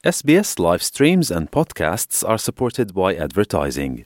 SBS live streams and podcasts are supported by advertising.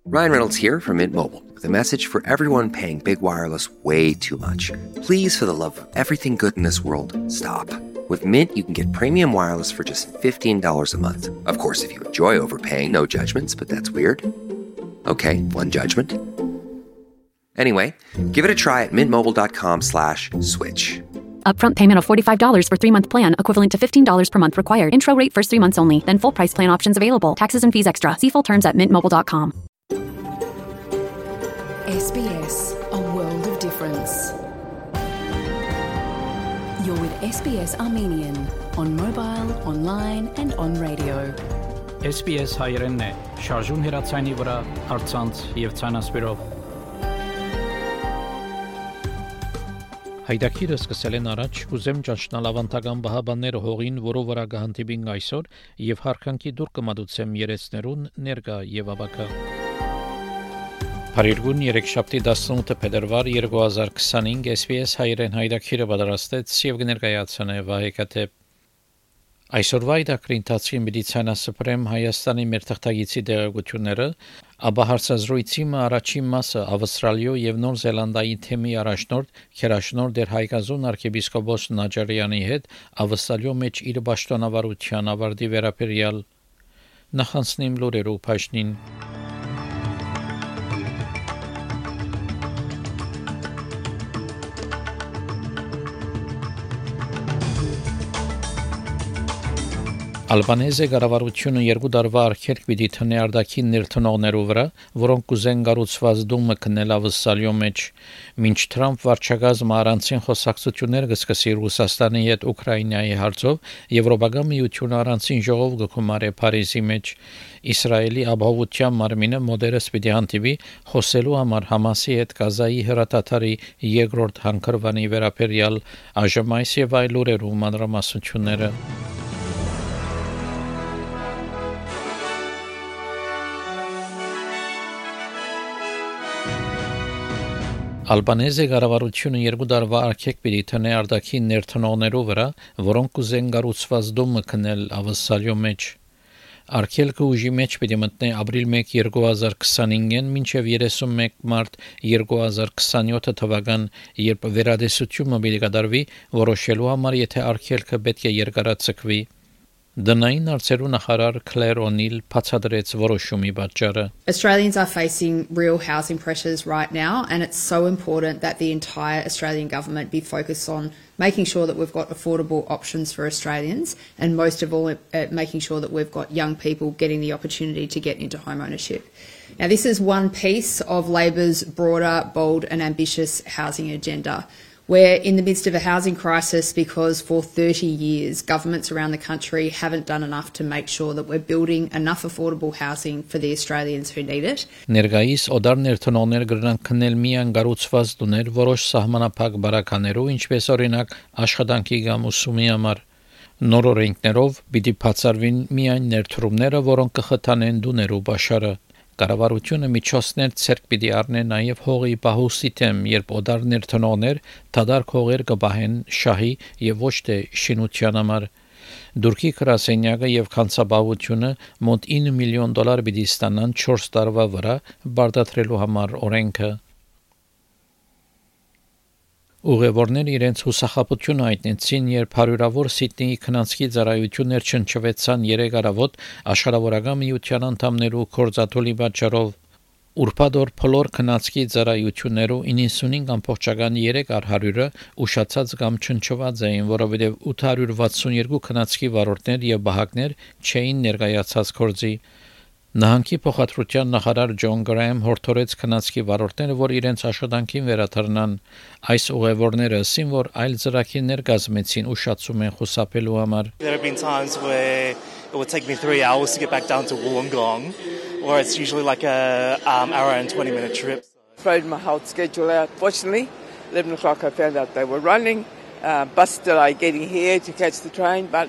Ryan Reynolds here from Mint Mobile with a message for everyone paying big wireless way too much. Please, for the love of everything good in this world, stop. With Mint, you can get premium wireless for just $15 a month. Of course, if you enjoy overpaying, no judgments, but that's weird. Okay, one judgment. Anyway, give it a try at mintmobile.com/switch. Upfront payment of $45 for 3-month plan, equivalent to $15 per month required. Intro rate first 3 months only, then full price plan options available. Taxes and fees extra. See full terms at mintmobile.com. SBS, a world of difference. You're with SBS Armenian on mobile, online and on radio. SBS հայերենն է, շարժուն հեռացանի վրա, առցանց եւ ցանասպիրով։ Հայդակիրը սկսել են առաջ ուզեմ ճաշնալ ավանդական բահաբանները հողին, որով վրա կհանդիպին այսօր եւ հարկանքի դուր կմատուցեմ երեցներուն ներկա եւ աբակա։ Փարիգուն 3-7 փետրվար 2025 SBS հայերեն հայդակիրը պատրաստեց եւ կներկայացնե Վահեկաթե։ Այսօրվա հայդակրի ընթացքին մեդիցինասպրեմ Հայաստանի մեր թղթագիտի դեղեցությունները, ապա հարցազրույցի առաջին մասը Ավստրալիո եւ Նոր Զելանդիայի թեմի առաջնորդ Քերաշնոր դեր Հայկազուն arczepiskopos Նաջարյանի հետ Ավստրալիո մեջ իր պաշտոնավարության ավարտի վերաբերյալ նախանցնիմ լուրերով փաշնին։ Ալբանեզը կառավարությունը 2 տարվա արգելք պիտի տնի արտաքին ներդնողներու վրա, որոնք կուզեն կառուցված դումը քննել Ավստրալիո մեջ, մինչ Թրամփ վարչակազմը առանցին խոսակցություններ կսկսի Ռուսաստանի հետ Ուկրաինայի հարցով, Եվրոպական միությունը առանցին ժողով կգումարի Փարիզի մեջ, Իսրայելի ապահովության մարմինը մոդերս պիտի հանդիպի խոսելու համար Համասի հետ Գազայի հրատատարի երկրորդ հանգրվանի վերաբերյալ այժմ այս եւ այլ լուրերու մանրամասնությունները։ Ալբանեզը կառավարությունը 2 տարվա արգելք պիտի տնի արտաքին ներդնողներու վրա, որոնք կուզեն կառուցված դումը քննել Ավստրալիո մեջ։ Արգելքը ուժի մեջ պիտի մտնի ապրիլ 1 2025-ին մինչև 31 մարտ 2027 թվական, երբ վերադեսությունը պիտի կատարվի, որոշելու համար եթե արգելքը պետք է երկարացվի։ Դնային արծերու նախարար Claire O'Neill բացատրեց որոշումի պատճառը։ Australians are facing real housing pressures right now, and it's so important that the entire Australian government be focused on making sure that we've got affordable options for Australians, and most of all making sure that we've got young people getting the opportunity to get into home ownership. Now this is one piece of Labor's broader, bold and ambitious housing agenda. We're in the midst of a housing crisis because for 30 years governments around the country haven't done enough to make sure that we're building enough affordable housing for the Australians who need it. Ներկայիս օդար ներդնողներ կրնան քնել միան կառուցված տուներ որոշ սահմանափակ բարականերով, ինչպես օրինակ աշխատանքի կամ ուսումի համար։ Նոր օրենքներով պիտի բացառվին միայն ներդրումները, որոնք կխթանեն տուներու բաշարը։ Կառավարությունը միջոցներ ցերկ պիտի առնի նաև հողի պահուստի դեմ, երբ օդար ներդնողներ դադար հողեր կբահեն շահի եւ ոչ թե շինության համար։ Դուրքի գրասենյակը եւ կանցաբավությունը մոտ $9 միլիոն պիտի ստանան 4 տարվա վրա բարդացրելու համար օրենքը։ Ուղևորները իրենց հուսախաբությունը հայտնեցին, երբ հարյուրավոր Սիդնեի քնանցքի ծառայություններ չնչվեցան 3 առավոտ աշխարհավորական միության անդամներու կորզաթոլի պատճառով։ Ուրբաթօր բոլոր քնանցքի ծառայություններու 95.3%-ը ուշացած կամ չնչված էին, որովհետև 862 քնանցքի վարորդներ եւ բահակներ չէին ներկայացած կորզի։ Նահանգի փոխադրության նախարար Ջոն Գրայեմ հորդորեց քնանցքի վարորդները, որ իրենց աշխատանքին վերադառնան։ Այս ուղևորները ասին, որ այլ ծրագիրներ կազմեցին ուշացում են խուսափելու համար։ There have been times where it would take me 3 hours to get back down to Wollongong, or it's usually like a hour and 20-minute trip. Thrown my whole schedule out. Fortunately, 11 o'clock I found out they were running. Bus delay getting here to catch the train, but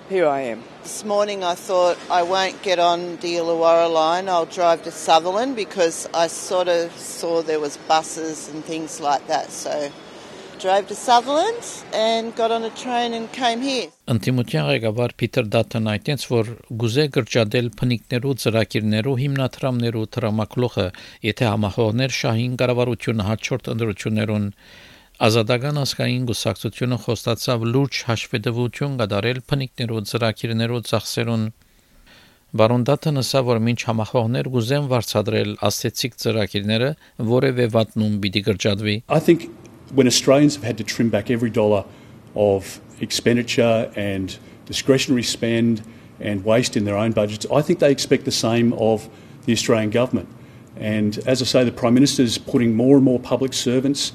here I am. This morning I thought I won't get on the Illawarra line, I'll drive to Sutherland because I sort of saw there was buses and things like that, so drove to Sutherland and got on a train and came here. Անտիմության ղեկավար Փիթեր Դաթն այդտենց որ գուզե գրճադել փնիկներու ծրագիրներու հիմնադրամներու տրամակլողը եթե համախոհներ շահին կառավարությունը հաջորդ ընդրություններուն ազատական ազգային գուսակցությունը խոստացավ լուրջ հաշվետվություն կատարել փնիկներու ծրագիրներու ծախսերուն Բարոն Դաթն ասա որ մինչ համախոհներ գուզեն վարձատրել աստեցիկ ծրագիրները որևէ վատնում պիտի գրճադվի I think when Australians have had to trim back every dollar of expenditure and discretionary spend and waste in their own budgets, I think they expect the same of the Australian government. And as I say, the Prime Minister's putting more and more public servants,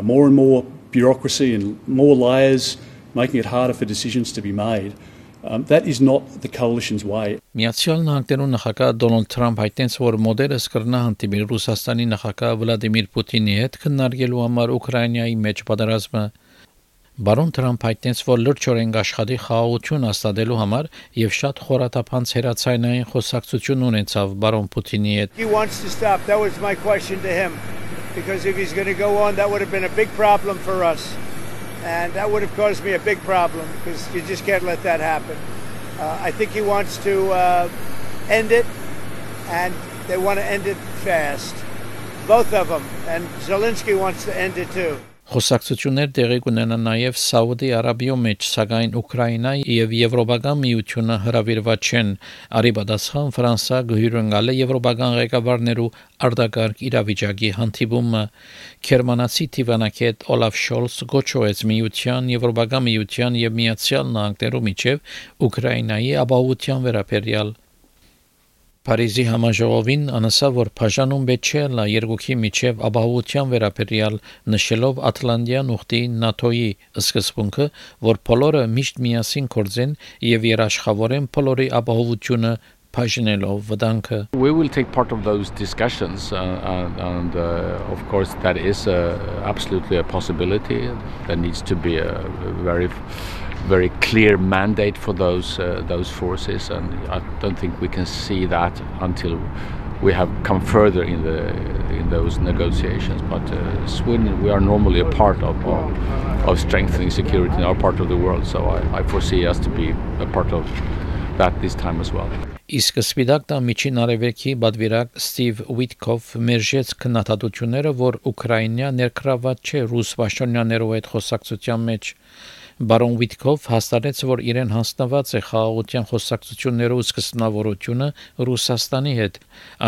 more and more bureaucracy and more layers, making it harder for decisions to be made. That is not the coalition's way. Միացյալ Նահանգներու նախագահ Դոնալդ Թրամփ հայտնեց, որ մոդելը կրնա հանդիպի Ռուսաստանի նախագահ Վլադիմիր Պուտինի հետ քննարկելու համար Ուկրաինայի մեջ պատերազմը։ Բարոն Թրամփ հայտնեց, որ լրջորեն աշխատի խաղաղություն հաստատելու համար եւ շատ խորաթափանց հերացայնային խոսակցություն ունեցավ բարոն Պուտինի հետ։ He wants to stop. That was my question to him because if he's going to go on that would have been a big problem for us. And that would have caused me a big problem because you just can't let that happen. I think he wants to end it, and they want to end it fast. Both of them. And Zelensky wants to end it too. Խոսակցություններ տեղի կունենան նաև Սաուդի Արաբիայի մեջ, սակայն Ուկրաինայի եւ Եվրոպական միությունը հրավիրված չեն։ Արիբադասխան Ֆրանսա գհյուրընկալ է Եվրոպական ղեկավարներու արտակարգ իրավիճակի հանդիպումը։ Գերմանացի դիվանագետ Օլաֆ Շոլց գոչոեց միության, Եվրոպական միության եւ Միացյալ Նահանգներու միջև Ուկրաինայի ապահովության վերաբերյալ Փարիզի համաժողովին անասավ որ բաժանում բեչելա երկուքի միջև ապահովության վերաբերյալ նշելով Ատլանտյան ուխտի ՆԱՏՕ-ի սկզբունքը որ բոլորը միշտ միասին կորձեն եւ երաշխավորեն բոլորի ապահովությունը բաժնելով վտանգը We will take part of those discussions and of course that is absolutely a possibility there needs to be a very clear mandate for those forces and I don't think we can see that until we have come further in those negotiations but Sweden we are normally a part of strengthening security in our part of the world so I foresee us to be a part of that this time as well Իսկ Սպիտակ տան միջին արևելքի բադվիրակ Ստիվ Ուիտկոֆ մերժեց քննադատությունները, որ Ուկրաինա ներգրավված չէ ռուս պաշտոնյաներով այդ խոսակցության մեջ։ Բարոն Ուիտկոֆ հաստատեց, որ իրեն հանձնված է խաղաղության խոսակցություններով սկզբնավորությունը Ռուսաստանի հետ։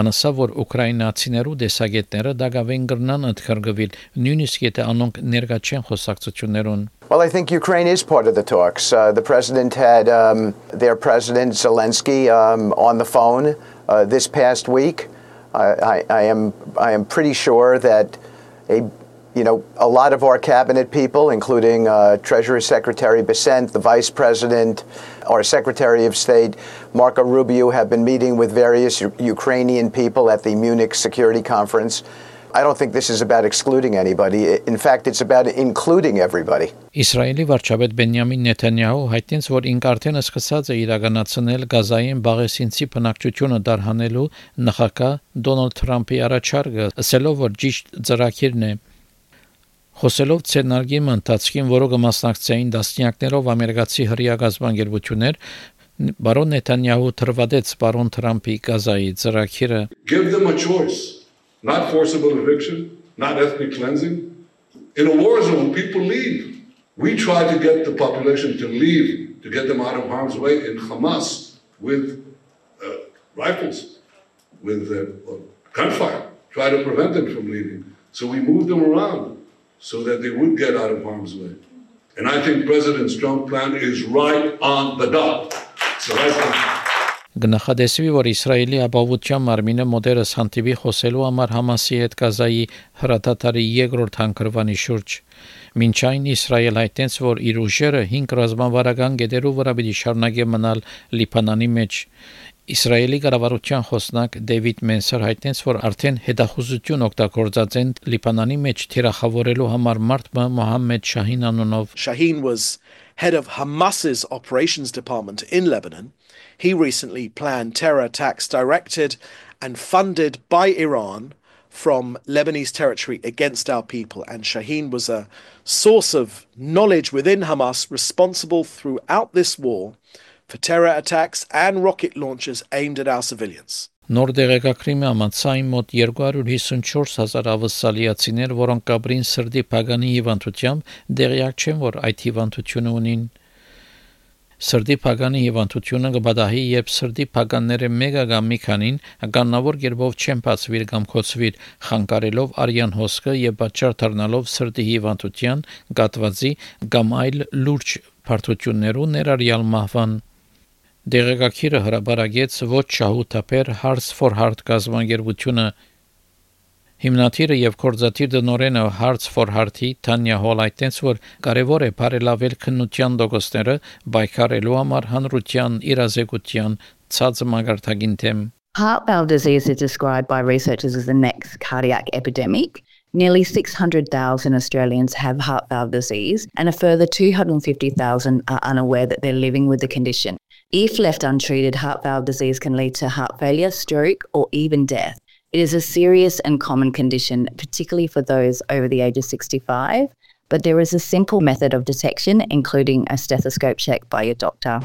Անասա, որ ուկրաինացիներու դեսագետները դակավեն կրնան ընդգրկվել, նույնիսկ եթե անոնք ներկա չեն խոսակցություններուն։ Well, I think Ukraine is part of the talks. The president had their president Zelensky on the phone this past week. I am pretty sure that a lot of our cabinet people, including Treasury Secretary Bessent, the Vice President, our Secretary of State Marco Rubio, have been meeting with various Ukrainian people at the Munich Security Conference. I don't think this is about excluding anybody. In fact, it's about including everybody. Իսրայելի վարչապետ Բենյամին Նեթանյահու հայտնեց, որ ինք արդեն սկսած է իրականացնել Գազային բաղեսինցի բնակչությունը դարհանելու նախագահ Դոնալդ Թրամփի առաջարկը, ասելով, որ ճիշտ ծրագիրն է։ Խոսելով ցերնարգի ընթացքին, որը կմասնակցեին դասնյակներով ամերիկացի հրեա գազբանգերություններ, բարոն Նեթանյահու թրվադեց բարոն Թրամփի Գազայի ծրագիրը։ Give them a choice. Not forcible eviction, not ethnic cleansing. In a war zone, people leave. We try to get the population to leave, to get them out of harm's way in Hamas with rifles, with gunfire, try to prevent them from leaving. So we moved them around so that they would get out of harm's way. And I think President Trump's plan is right on the dot. So Գնահատեսվի, որ Իսրայելի ապահովության մարմինը մոդերս հանդիպի խոսելու համար Համասի հետ Գազայի հրատատարի երկրորդ հանգրվանի շուրջ։ Մինչ այն Իսրայել հայտնեց, որ իր ուժերը 5 ռազմավարական գետերու վրա պիտի շարունակի մնալ Լիբանանի մեջ։ Իսրայելի կառավարության խոսնակ Դեվիդ Մենսեր հայտնեց, որ արդեն հետախուզություն օգտագործած են Լիբանանի մեջ թիրախավորելու համար մարդ Մոհամմեդ Շահին անունով։ Shaheen was head of Hamas's operations department in Lebanon. He recently planned terror attacks directed and funded by Iran from Lebanese territory against our people. And Shaheen was a source of knowledge within Hamas, responsible throughout this war for terror attacks and rocket launches aimed at our civilians. Նոր դեղեկագրի համաձայն մոտ 254,000 ավսալիացիներ, որոնք կապրին սրտի փագանի հիվանդությամբ, դեղյակ չեն, որ այդ հիվանդությունը ունին։ Սրտի փագանի հիվանդությունը կբադահի, երբ սրտի փագանները մեկը կամ մի քանին կանոնավոր կերպով չեն բացվիր կամ կոծվիր, խանգարելով արյան հոսքը եւ պատճառ դառնալով սրտի հիվանդության, գատվածի կամ այլ լուրջ բարդություններու ներառյալ մահվան։ Դեղեկագիրը հրապարակեց ոչ շահութաբեր Hearts for Heart կազմակերպությունը հիմնադիրը եւ կորզաթիր դնորենը Hearts for Heart-ի Թանյա Հոլայտենց, որ կարևոր է բարելավել քննության դոկոսները բայկարելու համար հանրության իրազեկության ցած մագարտագին թեմ։ Heart valve disease is described by researchers as the next cardiac epidemic. Nearly 600,000 Australians have heart valve disease, and a further 250,000 are unaware that they're living with the condition. If left untreated, heart valve disease can lead to heart failure, stroke, or even death. It is a serious and common condition, particularly for those over the age of 65, but there is a simple method of detection, including a stethoscope check by your doctor.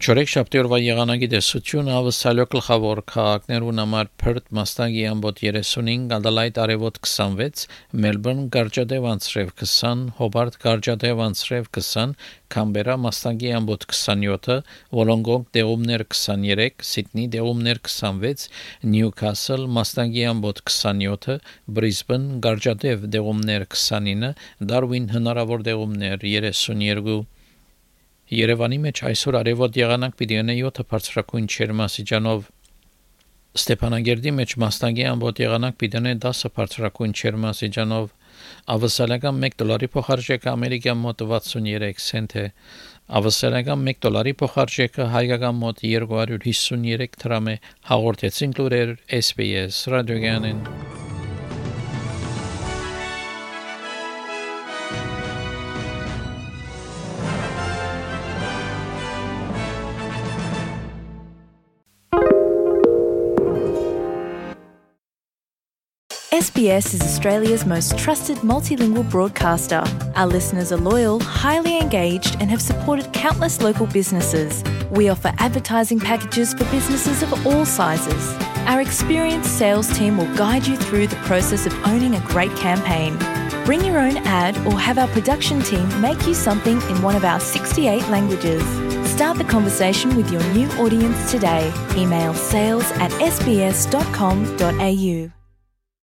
Չորեքշաբթի օրվա եղանակի տեսությունը ավսալյո գլխավոր քաղաքներուն համար Perth մաստագի ամբոտ 35, Adelaide արևոտ 26, Melbourne գարջադեվ անցրև 20, Hobart գարջադեվ անցրև 20, Canberra մաստագի ամբոտ 27, Wollongong դեղումներ 23, Sydney դեղումներ 26, Newcastle մաստագի ամբոտ 27, Brisbane գարջադեվ դեղումներ 29, Darwin հնարավոր դեղումներ 32 Երևանի մեջ այսօր արևոտ եղանակ պիտի ունենա 7 բարձրակույն ջերմաստիճանով Ստեփանագերդի մեջ մաստագի ամբոտ եղանակ պիտի ունենա 10 բարձրակույն ջերմաստիճանով ավսալական $1 փոխարժեքը ամերիկյան մոտ 63 سنت է ավսալական $1 փոխարժեքը հայկական մոտ 253 դրամ է հաղորդեցին լուրեր SBS ռադիոգյանեն SBS is Australia's most trusted multilingual broadcaster. Our listeners are loyal, highly engaged, and have supported countless local businesses. We offer advertising packages for businesses of all sizes. Our experienced sales team will guide you through the process of owning a great campaign. Bring your own ad or have our production team make you something in one of our 68 languages. Start the conversation with your new audience today. Email sales@sbs.com.au.